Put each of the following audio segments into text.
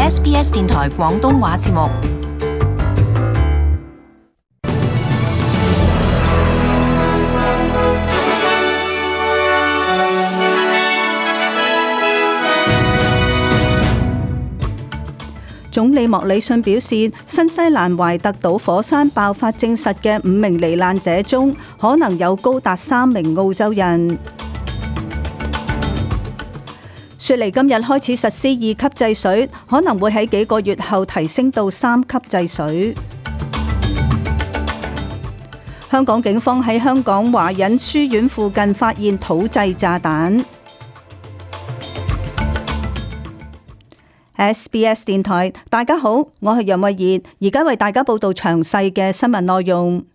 SBS 電台廣東話節目。總理莫里遜表示，新西蘭懷特島火山爆發證實嘅5名罹難者中，可能有高達3名澳洲人。雪梨今日開始實施2級制水，可能會喺幾個月後提升到3級制水。香港警方喺香港華仁書院附近發現土製炸彈。SBS 電台，大家好，我係楊慧儀，而家為大家報道詳細嘅新聞內容。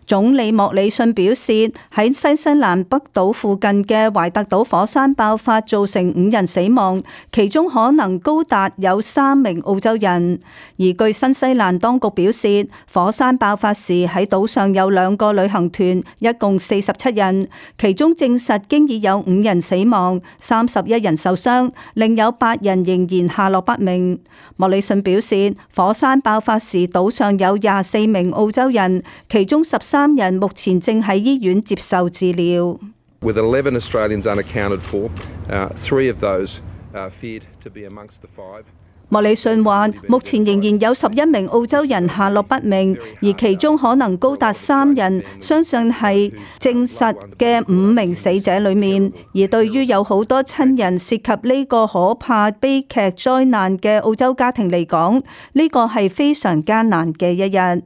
總理莫里遜表示，喺新西蘭北島附近嘅懷特島火山爆發造成5人死亡，其中可能高達有3名澳洲人。而據新西蘭當局表示，火山爆發時喺島上有2個旅行團，一共47人，其中證實經已有5人死亡，31人受傷，另有8人仍然下落不明。莫里遜表示，火山爆發時島上有24名澳洲人，其中13人目前正喺醫院接受治療。With 11 Australians unaccounted for, 3 of those feared to be amongst the 5. 莫里遜話，目前仍然有11名澳洲人下落不明，而其中可能高達3人，相信係證實嘅5名死者裏面。而對於有好多親人涉及呢個可怕悲劇災難嘅澳洲家庭嚟講，呢個係非常艱難嘅一日。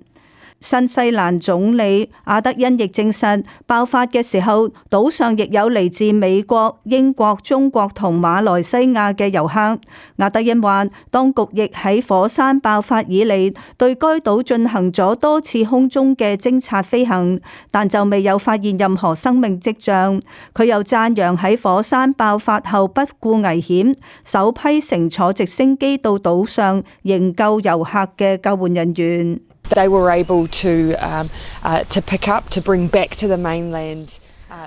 新西蘭總理阿德恩亦證實，爆發嘅時候，島上亦有嚟自美國、英國、中國同馬來西亞嘅遊客。阿德恩話，當局亦喺火山爆發以嚟對該島進行咗多次空中嘅偵察飛行，但就未有發現任何生命跡象。佢又讚揚喺火山爆發後不顧危險，首批乘坐直升機到島上營救遊客嘅救援人員。They were able to pick up, to bring back to the mainland.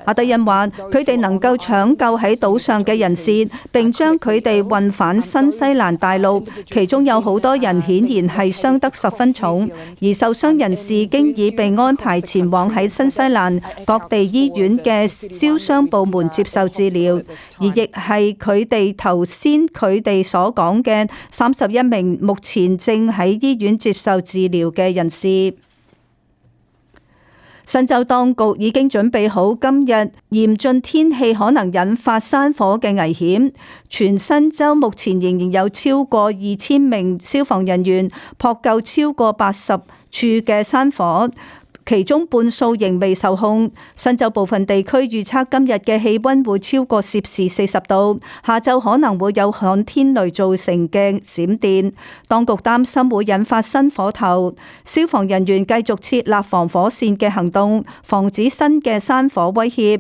阿德恩話：佢哋能夠搶救喺島上嘅人士，並將佢哋運返新西蘭大陸，其中有好多人顯然係傷得十分重，而受傷人士經已被安排前往喺新西蘭各地醫院嘅燒傷部門接受治療，而亦係佢哋頭先佢哋所講嘅31名目前正喺醫院接受治療嘅人士。新州當局已經準備好今日嚴峻天氣可能引發山火嘅危險，全新州目前仍然有超過2000名消防人員撲救超過80處嘅山火，其中半數仍未受控。新州部分地區預測今日嘅氣溫會超過攝氏40度，下晝可能會有旱天雷造成嘅閃電，當局擔心會引發新火頭。消防人員繼續設立防火線嘅行動，防止新嘅山火威脅。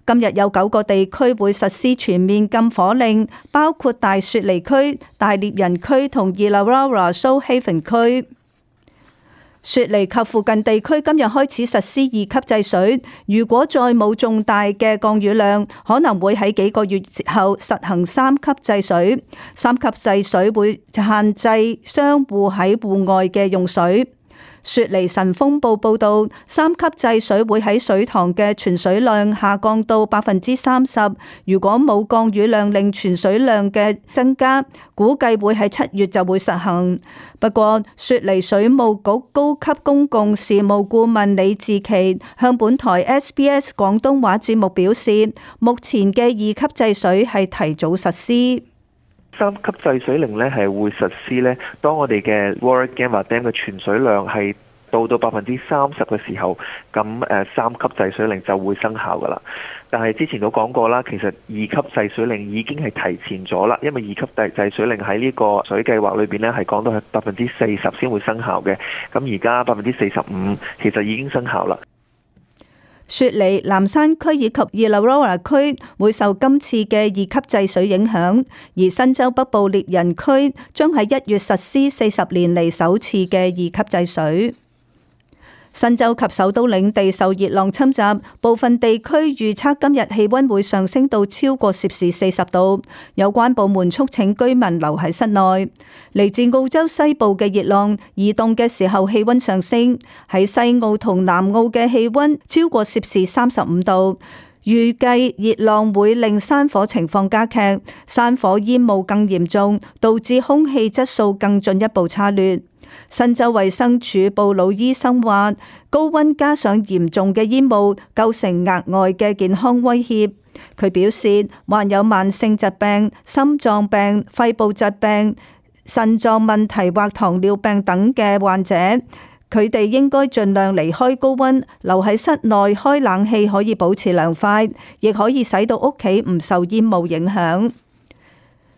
今日有9個地區會實施全面禁火令，包括大雪梨區、大獵人區同 Illawarra Shoal Haven 區。雪梨及附近地區今日開始實施2級制水，如果再冇重大嘅降雨量，可能會喺幾個月後實行3級制水。3級制水會限制商戶喺戶外嘅用水。雪梨晨風報報導，3級制水會喺水塘嘅存水量下降到30%。如果冇降雨量令存水量嘅增加，估計會喺7月就會實行。不過，雪梨水務局高級公共事務顧問李志奇向本台 SBS 廣東話節目表示，目前嘅2級制水係提早實施。3級制水令咧係會實施咧，當我哋嘅 Warra Gamma Dam 嘅存水量係到30%嘅時候，咁3級制水令就會生效噶啦。但係之前都講過啦，其實2級制水令已經係提前咗啦，因為2級制水令喺呢個水計劃裏邊咧係講到係40%先會生效嘅，咁而家45%其實已經生效啦。雪梨、南山區以及 Illawarra 區會受今次嘅2級制水影響，而新州北部獵人區將喺1月實施40年嚟首次嘅2級制水。新州及首都領地受熱浪侵襲，部分地區預測今日氣溫會上升到超過攝氏40度。有關部門促請居民留喺室內。嚟自澳洲西部嘅熱浪移動嘅時候，氣溫上升，喺西澳同南澳嘅氣溫超過攝氏35度。預計熱浪會令山火情況加劇，山火煙霧更嚴重，導致空氣質素更進一步差劣。新州衛生署布魯醫生話，高溫加上嚴重嘅煙霧構成額外嘅健康威脅。佢表示，患有慢性疾病、心臟病、肺部疾病、腎臟問題或糖尿病等嘅患者，佢哋應該盡量離開高溫，留喺室內開冷氣可以保持涼快，亦可以使到屋企唔受煙霧影響。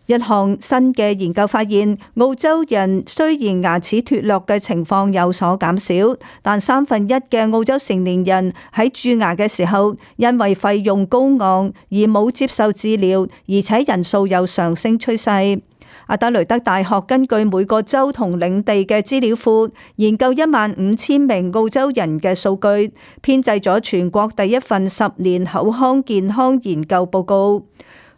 一項新嘅研究發現，澳洲人雖然牙齒脫落嘅情況有所減少，但1/3嘅澳洲成年人喺蛀牙嘅時候，因為費用高昂而冇接受治療，而且人數有上升趨勢。阿德雷德大學根據每個州同領地嘅資料庫，研究15000名澳洲人嘅數據，編製咗全國第一份10年口腔健康研究報告。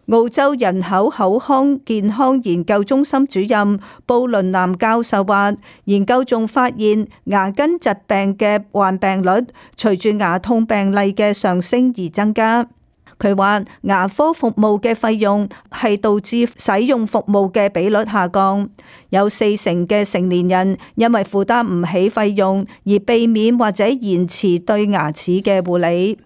澳洲人口口腔健康研究中心主任布倫南教授話，研究仲發現牙根疾病嘅患病率隨住牙痛病例嘅上升而增加。佢話牙科服務嘅費用係導致使用服務嘅比率下降，有40%嘅成年人因為負擔唔起費用而避免或者延遲對牙齒嘅護理。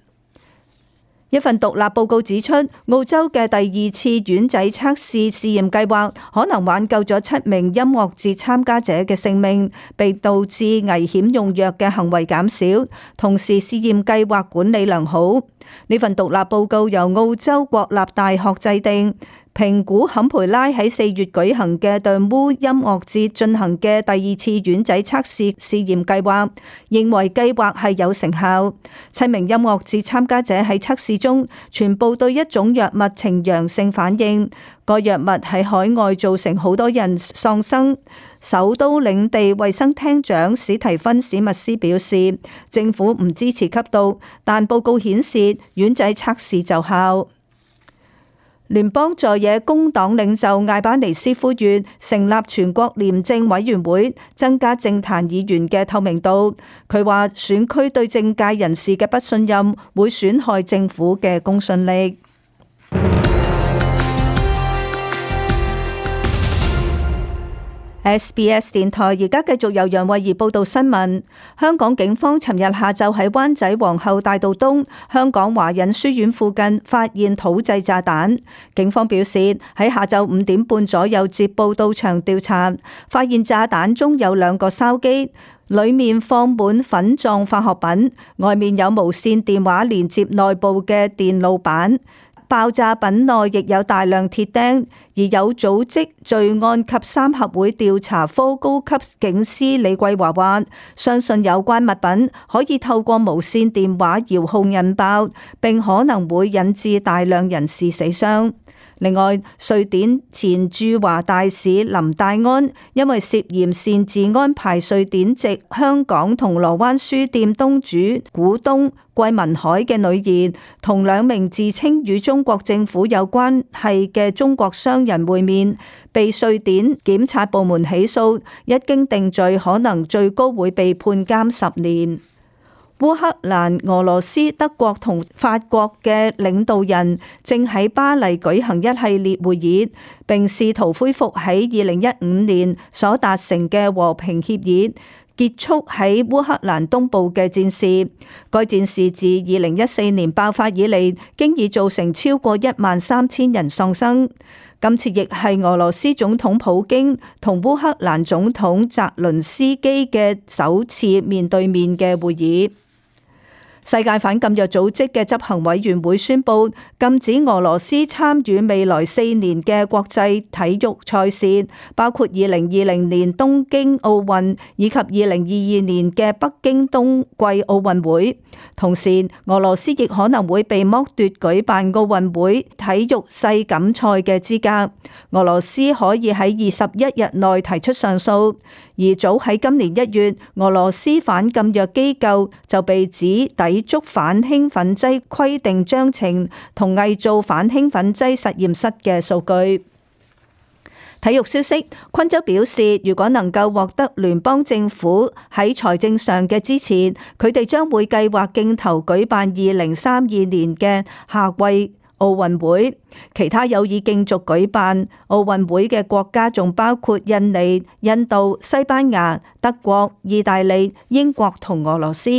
一份獨立報告指出，澳洲嘅第2次丸仔測試試驗計劃可能挽救咗7名音樂節參加者嘅性命，並導致危險用藥嘅行為減少，同時試驗計劃管理良好。呢份獨立報告由澳洲國立大學制定，評估坎培拉喺4月舉行嘅 The Moo 音樂節進行嘅第2次丸仔測試試驗計劃，認為計劃係有成效。7名音樂節參加者喺測試中全部對一種藥物呈陽性反應，個藥物喺海外造成好多人喪生。首都領地衛生廳長史提芬史密斯表示，政府唔支持吸毒，但報告顯示丸仔測試奏效。聯邦在野工黨領袖艾巴尼斯呼籲成立全國廉政委員會，增加政壇議員嘅透明度。佢話選區對政界人士嘅不信任會損害政府嘅公信力。SBS 電台而家繼續由楊慧儀報道新聞。香港警方尋日下晝喺灣仔皇后大道東香港華仁書院附近發現土製炸彈。警方表示喺下晝5點半左右接報到場調查，發現炸彈中有2個筲箕，裡面放滿粉狀化學品，外面有無線電話連接內部嘅電路板。爆炸品內亦有大量鐵釘，而有組織罪案及3合會調查科高級警司李桂華話，相信有關物品可以透過無線電話遙控引爆，並可能會引致大量人士死傷。另外，瑞典前駐華大使林戴安因為涉嫌擅自安排瑞典籍香港銅鑼灣書店東主股東桂民海嘅女兒同2名自稱與中國政府有關係嘅中國商人會面，被瑞典檢察部門起訴，一經定罪，可能最高會被判監10年。烏克蘭、俄羅斯、德國同法國嘅領導人正喺巴黎舉行一系列會議，並試圖恢復喺2015年所達成嘅和平協議，結束喺烏克蘭東部嘅戰事。該戰事自2014年爆發以嚟，經已造成超過13000人喪生。今次亦係俄羅斯總統普京同烏克蘭總統澤倫斯基嘅首次面對面嘅會議。世界反禁藥組織嘅執行委員會宣布禁止俄羅斯參與未來4年嘅國際體育賽事，包括2020年東京奧運以及2022年嘅北京冬季奧運會。同時，俄羅斯亦可能會被剝奪舉辦奧運會體育世錦賽嘅資格。俄羅斯可以喺21日內提出上訴。而早喺今年1月，俄羅斯反禁藥機構就被指抵觸反興奮劑規定章程同偽造反興奮劑實驗室嘅數據。體育消息，昆州表示，如果能夠獲得聯邦政府喺財政上嘅支持，佢哋將會計劃競投舉辦2032年嘅夏季奧運會。其他有意競逐舉辦奧運會嘅國家仲包括印尼、印度、西班牙、德國、意大利、英國同俄羅斯。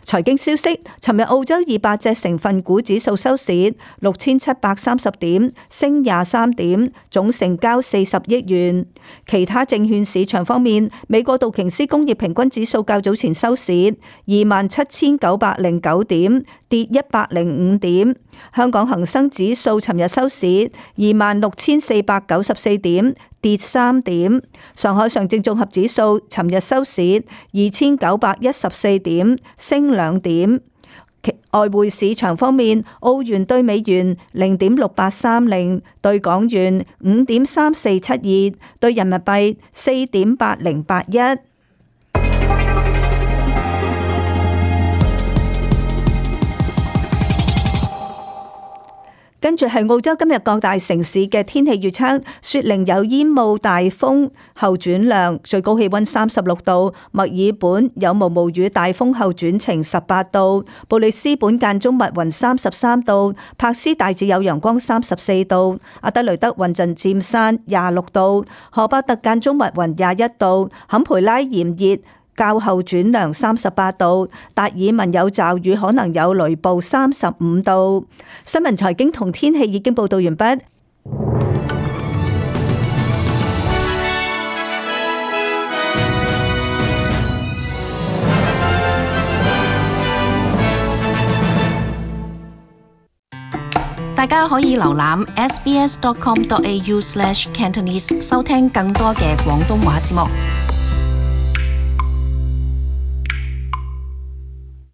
財經消息，尋日澳洲200隻成分股指數收市6730點，升23點，總成交40億元。其他證券市場方面，美國道瓊斯工業平均指數較早前收市27909點，跌105點。香港恒生指數尋日收市26494點，跌3點。上海上證綜合指數尋日收市2914點，升2點。外匯市場方面，澳元兌美元0.6830，兌港元5.3472，兌人民幣4.8081。跟住係澳洲今日各大城市嘅天氣預測：雪梨有煙霧大風後轉涼，最高氣溫36度；墨爾本有毛毛雨大風後轉晴18度；布里斯本間中密雲33度；柏斯大致有陽光34度；阿德雷德雲陣漸散26度；荷伯特間中密雲21度；坎培拉炎熱較後轉涼38度，達爾文有驟雨可能有雷暴35度。新聞財經同天氣已經報道完畢。大家可以瀏覽 sbs.com.au/cantonese 收聽更多嘅廣東話節目。